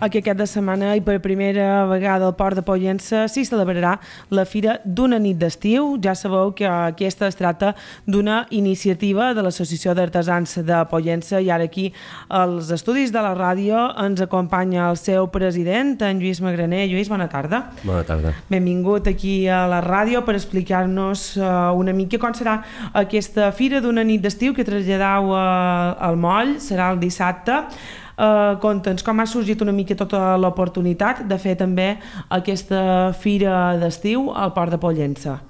Aquest cap de setmana i per primera vegada al Port de Pollença s'hi celebrarà la Fira d'una nit d'estiu. Ja sabeu que aquesta es tracta d'una iniciativa de l'Associació d'Artesans de Pollença i ara aquí als estudis de la ràdio ens acompanya el seu president, en Lluís Magraner. Lluís, bona tarda. Bona tarda. Benvingut aquí a la ràdio per explicar-nos una mica com serà aquesta Fira d'una nit d'estiu que traslladau al Moll, serà el dissabte. Conta'ns com ha sorgit una mica tota l'oportunitat de fer també aquesta fira d'estiu al Port de Pollença.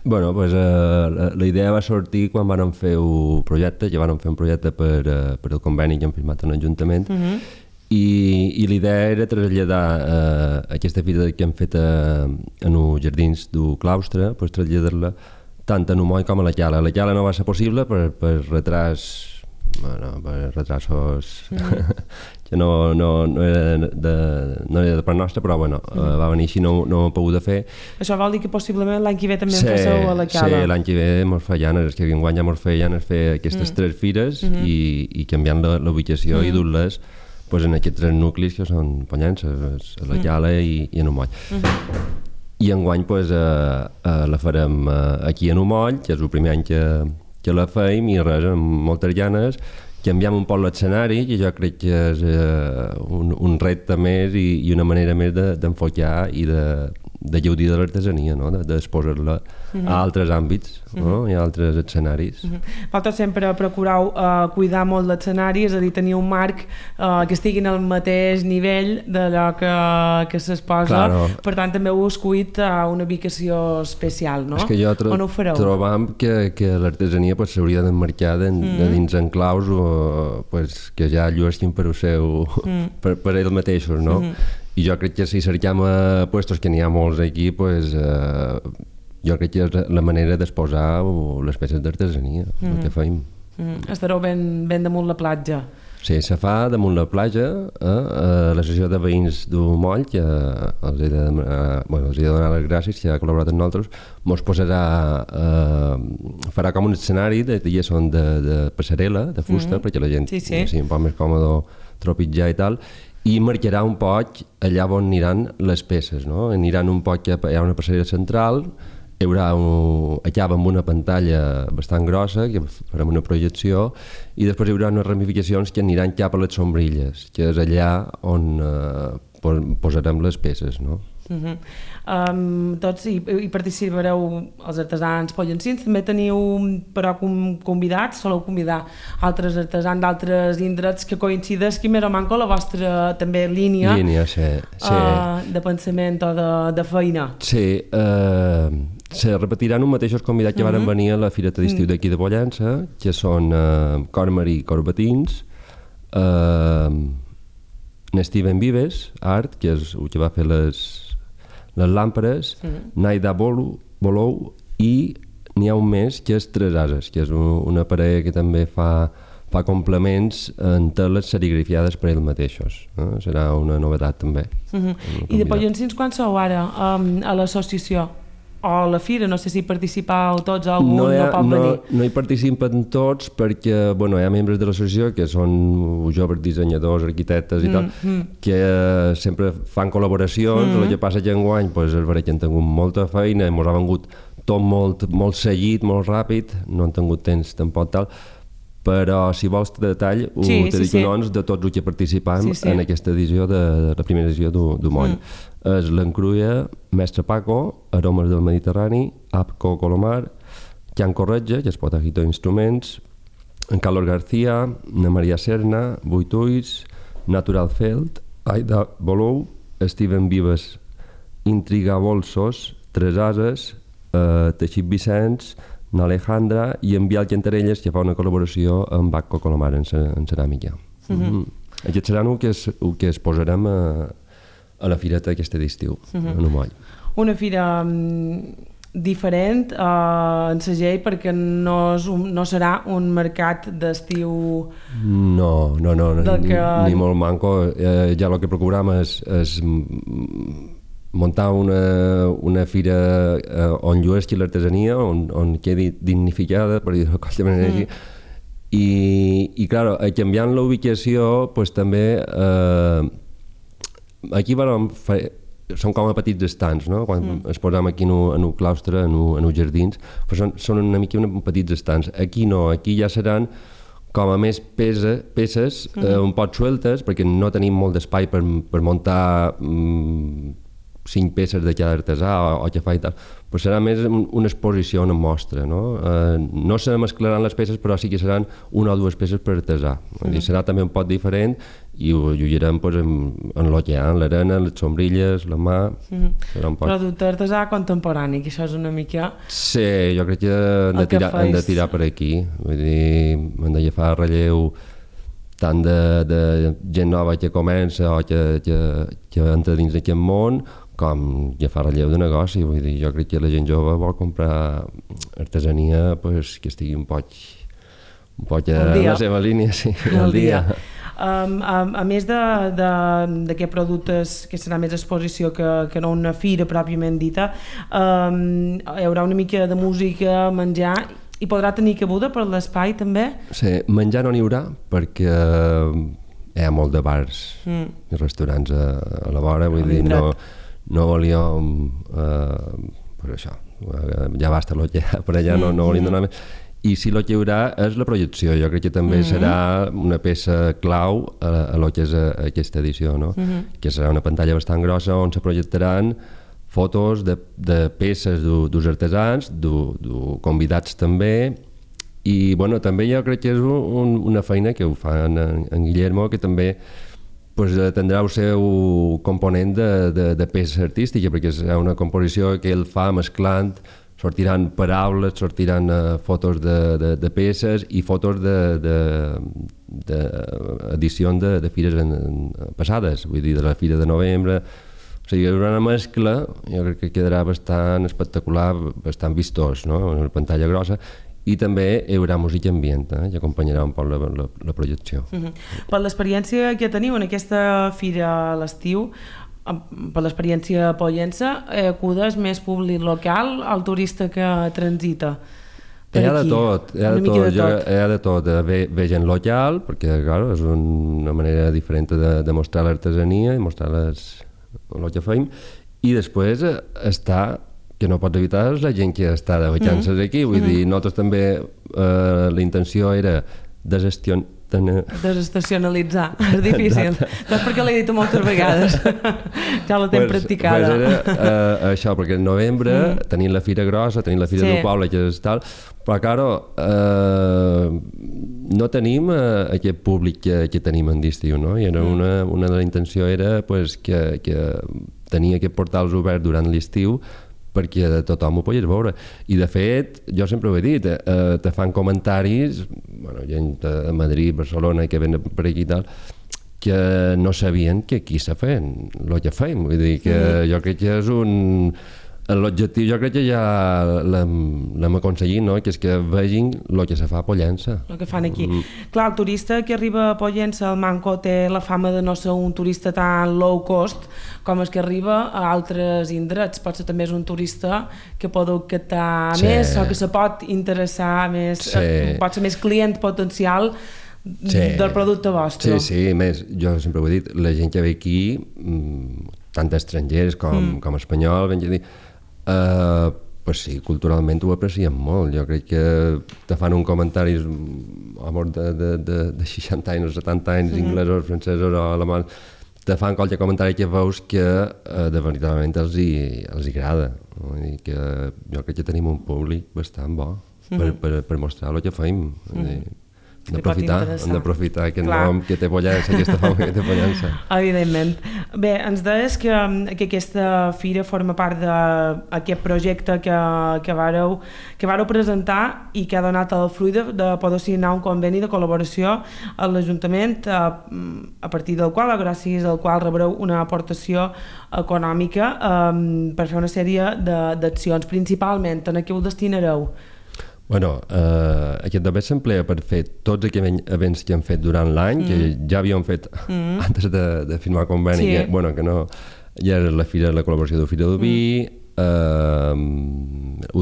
Bueno, pues, la idea va sortir quan vam fer un projecte, ja vam fer un projecte per el conveni que hem firmat en l'Ajuntament, i l'idea era traslladar aquesta fira que hem fet en els jardins del claustre, pues, traslladar-la tant a Moll com a la Cala. A la Cala no va ser possible per retrasos que no era de part nostra, però bueno, va venir així, no ho he pogut fer. Això vol dir que possiblement l'any que ve també en féssiu a la Cala? Sí, l'any que ve mos feien, és que enguany ja mos feien fer aquestes tres fires i canviant l'ubicació i dur-les en aquests tres nuclis que són Pollença, a la Cala i en Moll. I enguany la farem aquí en Moll, que és el primer any que la feim, i res, amb moltes ganes, canviem un poc l'escenari, que jo crec que és un repte més i una manera més d'enfocar i de gaudir de l'artesania, no? D'exposar-la a altres àmbits i a altres escenaris. Vosaltres sempre procurau cuidar molt l'escenari, és a dir, tenir un marc que estigui al mateix nivell d'allò que s'exposa. Claro. Per tant, també heu escollit una ubicació especial, no? És que jo trobam que l'artesania s'hauria d'emmarcar dins enclaus que ja llueixin per per ells mateixos, no? I jo crec que si cercam puestos que n'hi ha molts aquí, jo crec que és la manera d'exposar les peces d'artesania, el que feim. Estareu ben damunt la platja. Sí, se fa damunt la platja, a l'associació de veïns del Moll, que els he de donar les gràcies, que ha col·laborat amb nosaltres, mos farà com un escenari de passarel·la, de fusta, perquè la gent sigui un poc més còmode tropitzar i tal, i marcarà un poc allà on aniran les peces, no? Aniran un poc, hi ha una passarel·la central, hi haurà acaba amb una pantalla bastant grossa, que farem una projecció, i després hi haurà unes ramificacions que aniran cap a les sombrilles, que és allà on posarem les peces, no? Tots hi participareu els artesans pollencins, també teniu però convidats, soleu convidar altres artesans d'altres indrets que coincideixi més o manco la vostra també línia de pensament o de feina. Sí, se repetiran els mateixos convidats que van venir a la Fireta d'Estiu d'aquí de Pollença, que són Cormarí Corbatins, Steven Vives, Art, que és el que va fer les làmperes, Naida Bolou, i n'hi ha un més que és Tres Ases, que és una parella que també fa complements en teles serigrafiades per ells mateixos. Serà una novetat també. I de pollencins quan sou ara a l'associació? O a la fira, no sé si participau tots o algun no pot venir. No hi participen tots perquè hi ha membres de l'associació que són joves dissenyadors, arquitectes i tal, que sempre fan col·laboracions. El que passa que enguany és veritat que han tingut molta feina, ens ha vengut tot molt seguit, molt ràpid, no han tingut temps tampoc tal, però si vols detall te dic noms de tots els que participam en aquesta edició de la primera edició del Moll. És l'Encruia, Mestre Paco, Aromes del Mediterrani, Apco Colomar, Can Corretja, que és Potajito Instruments, en Carlos García, na Maria Serna, Vuit Ulls, Natural Feld, Aida Bolou, Steven Vives, Intriga Bolsos, Tres Ases, Teixit Vicenç, n'Alejandra i en Bial Cantarelles, que fa una col·laboració amb Apco Colomar en ceràmica. Aquest serà el que es posarem a la fireta aquesta d'estiu, en Moll. Una fira diferent en segell perquè no serà un mercat d'estiu... No, ni molt manco. Ja el que procurem és muntar una fira on llueixi l'artesania, on quedi dignificada, per dir-ho de qualsevol manera així. I clar, canviant la ubicació, també aquí són com a petits estants, no? Quan es posam aquí en un claustre, en uns jardins, però són una mica petits estants. Aquí no, aquí ja seran com a més peces un poc sueltes, perquè no tenim molt d'espai per muntar 5 peces de cada artesà o que fa i tal, però serà més una exposició, una mostra, no? No se mesclaran les peces, però sí que seran 1 o 2 peces per artesà. Serà també un poc diferent i ho lliurem en el que hi ha, en l'arena, les sombrilles, la mà... Producte artesà contemporani, que això és una mica... Sí, jo crec que hem de tirar per aquí. Vull dir, hem de agafar relleu tant de gent nova que comença o que entra dins d'aquest món, com ja fa relleu de negoci. Vull dir, jo crec que la gent jove vol comprar artesania que estigui un poc en la seva línia, sí, al dia. A més d'aquests productes, que serà més exposició que no una fira pròpiament dita, hi haurà una mica de música, menjar, i podrà tenir cabuda per l'espai també? Sí, menjar no n'hi haurà perquè hi ha molt de bars i restaurants a la vora, vull dir, no volíem per això, ja basta el que hi ha per allà, no volíem donar més. I si el que hi haurà és la projecció, jo crec que també serà una peça clau a lo que és aquesta edició, no? Que serà una pantalla bastant grossa on se projectaran fotos de peces dels artesans, convidats també, i bueno, també jo crec que és una feina que ho fa en Guillermo, que també tindrà el seu component de peça artística, perquè és una composició que ell fa mesclant, sortiran paraules, sortiran fotos de peces i fotos d'edicions de fires passades, vull dir, de la Fira de Novembre. O sigui, hi haurà una mescla, jo crec que quedarà bastant espectacular, bastant vistós, no?, una pantalla grossa, i també hi haurà música ambient, que acompanyarà un poc la projecció. Per l'experiència que teniu en aquesta fira a l'estiu, per l'experiència pollensa, acudes més públic local al turista que transita per aquí? Hi ha de tot. Ve gent local, perquè clar, és una manera diferent de mostrar l'artesania i mostrar el que fem, i després està, que no pots evitar, és la gent que està de vacances aquí, vull dir, nosaltres també la intenció era desestacionalitzar, és difícil. Doncs perquè l'he dit moltes vegades. Ja la tenc practicada. Era això, perquè en novembre tenim la Fira Grossa, tenim la Fira del Poble, que és tal, però claro, no tenim aquest públic que tenim en d'estiu, no? I una de les intencions era que tenia aquests portals oberts durant l'estiu perquè tothom ho pogués veure. I de fet, jo sempre ho he dit, te fan comentaris, gent de Madrid, Barcelona, que venen per aquí i tal, que no sabien que aquí se feien el que fem. Vull dir que jo crec que és l'objectiu, jo crec que ja l'hem aconseguit, no? Que és que vegin el que se fa a Pollença. El que fan aquí. Clar, el turista que arriba a Pollença, el Manco, té la fama de no ser un turista tan low cost com és que arriba a altres indrets. Potser també és un turista que pot captar més o que se pot interessar més, pot ser més client potencial del producte vostre. Sí, més, jo sempre ho he dit, la gent que ve aquí, tant estrangers com espanyols, ben dir, pues sí, culturalment ho apreciem molt. Jo crec que te fan un comentari de 60 anys o 70 anys, inglesos, francesos o alemanys, te fan qualque comentari que veus que de veritablement els hi agrada. Que jo crec que tenim un públic bastant bo per mostrar el que fem. Hem d'aprofitar aquest nom que té Pollença, aquesta fama que té Pollença. Evidentment. Bé, ens deies que aquesta fira forma part d'aquest projecte que vareu presentar i que ha donat el fruit de poder signar un conveni de col·laboració a l'Ajuntament, a partir del qual, gràcies al qual rebreu una aportació econòmica per fer una sèrie d'accions. Principalment, en què ho destinareu? Bueno, aquest també s'emplea per fer tots aquells events que hem fet durant l'any, que ja havíem fet antes de firmar el conveni, que no, ja era la col·laboració de Fira d'Oví,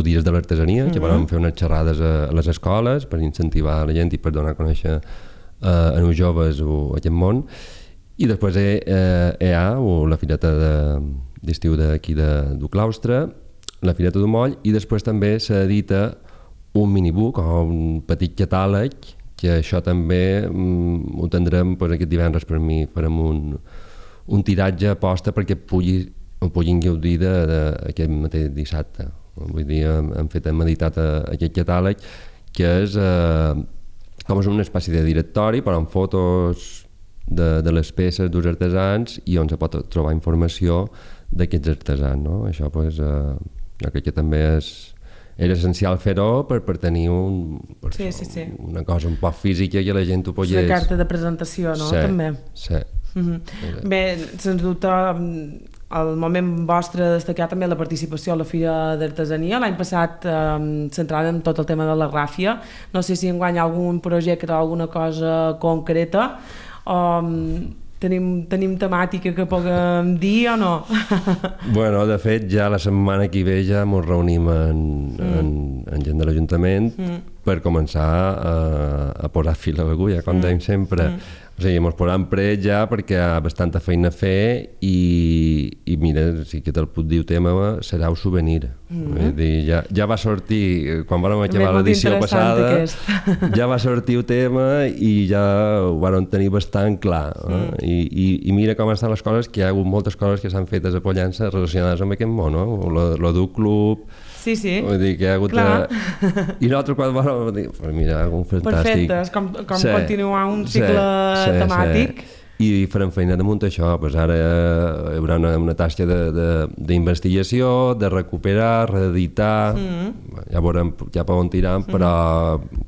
dies de l'artesania, que vam fer unes xerrades a les escoles per incentivar la gent i per donar a conèixer a nous joves aquest món, I després hi ha la fireta d'estiu d'aquí du claustre, la fireta d'un moll, i després també s'edita un minibook o un petit catàleg, que això també ho tindrem aquest divendres per mi, farem un tiratge aposta perquè puguin gaudir d'aquest mateix dissabte. Vull dir, hem editat aquest catàleg que és com una espècie de directori però amb fotos de les peces dels artesans i on se pot trobar informació d'aquests artesans, no? Això jo crec que també era essencial fer-ho per tenir una cosa un poc física que la gent ho pogués... Una carta de presentació, no? Sí, també. Sí. Bé, sens dubte, el moment vostre de destacar també la participació a la Fira d'Artesania. L'any passat centrant en tot el tema de la ràfia. No sé si enguany algun projecte o alguna cosa concreta. Tenim temàtica que puguem dir o no? Bueno, de fet, ja la setmana que ve ja ens reunim en gent de l'Ajuntament per començar a posar fil a l'agulla, com dèiem sempre. O sigui, ens posem prets ja perquè hi ha bastanta feina a fer i mira, si que te'l puc dir el tema serà un souvenir. Vull dir, ja va sortir, quan vam acabar l'edició passada, ja va sortir el tema i ja ho vam tenir bastant clar. I mira com estan les coses, que hi ha hagut moltes coses que s'han fet a Pollença relacionades amb aquest món, no? Lo d'un club... Sí. Vull dir que hi ha hagut... I nosaltres quan vam dir, mira, un fantàstic... Perfecte, és com continuar un cicle temàtic. I farem feina damunt això, ara hi haurà una tasca d'investigació, de recuperar, reeditar, ja veurem cap on tirant, però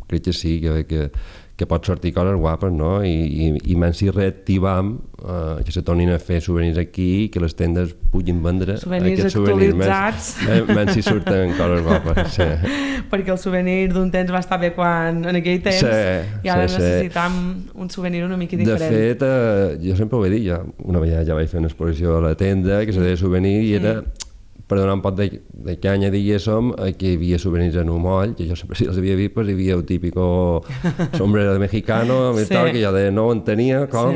crec que sí, que pot sortir coses guapes, no? I menys si reactivam que se tornin a fer souvenirs aquí i que les tendes puguin vendre aquests souvenirs menys si surten coses guapes, sí. Perquè el souvenir d'un temps va estar bé en aquell temps i ara necessitam un souvenir una mica diferent. De fet, jo sempre ho he dit, una vegada ja vaig fer una exposició a la tenda que se deia souvenir i era per donar un pot de canya, diguéssim, que hi havia souvenirs en un moll, que jo sempre si els havia vist, hi havia el típico sombrero de mexicano, que jo no ho entenia, com...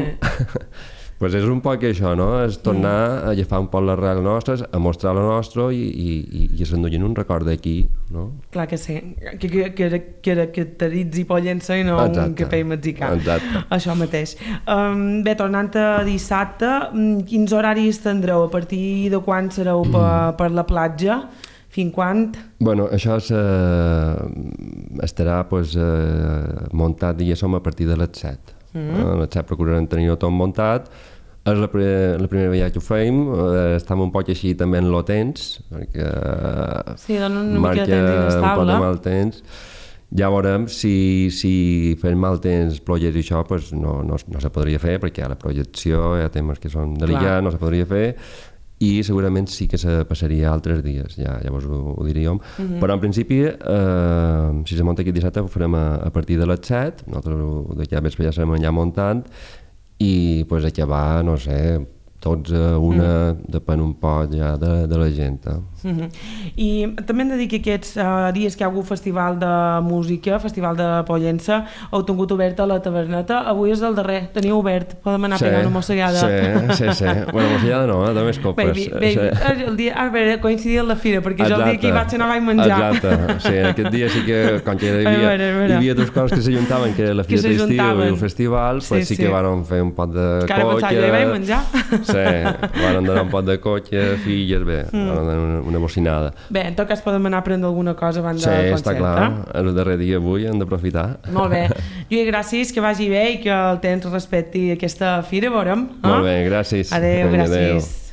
Pues és un poc això, no? És tornar a agafar un poc l'arrel nostres, a mostrar la nostra i s'enduien un record d'aquí, no? Clar que sí, que caracteritzi Pollença i no un capell mexicà. Exacte. Això mateix. Bé, tornant a dissabte, quins horaris tindreu? A partir de quan sereu per la platja? Fins quan? Bueno, això estarà muntat, diguéssim, a partir de les 7. A les 7 procurarem tenir-ho tot muntat. És la primera vegada que ho feim, estem un poc així també en el temps, perquè marca un poc de mal temps. Ja veurem si fem mal temps, pluges i això, no se podria fer, perquè hi ha la projecció, hi ha temes que són delicats, no se podria fer, i segurament sí que se passaria altres dies, llavors ho diríem. Però en principi, si se munta aquest dissabte, ho farem a partir de les 7, nosaltres d'aquí a vespre ja serem allà muntant, i acabar, no sé, tots a una, depèn un poc ja de la gent. I també hem de dir que aquests dies que hi ha hagut festival de música, festival de Pollença, heu tingut oberta la taverneta. Avui és el darrer, teniu obert, podem anar pegant una mossegada. Sí. Bueno, mossegada no, de més copes. El dia, a veure, coincidia amb la fira, perquè jo el dia que hi vaig anar vaig menjar. Exacte, sí, aquest dia sí que, com que hi havia dues coses que s'ajuntaven, que era la fira d'estiu i el festival, sí que van fer un pot de coca. Encara pensava, jo hi vaig menjar. Sí, van donar un pot de coca, filles, bé, van donar una bocinada. Bé, en tot cas podem anar a prendre alguna cosa abans del concert. Sí, està clar, el darrer dia avui hem d'aprofitar. Molt bé. Lluís, gràcies, que vagi bé i que el temps respecti aquesta fira, veurem. Molt bé, gràcies. Adéu, gràcies.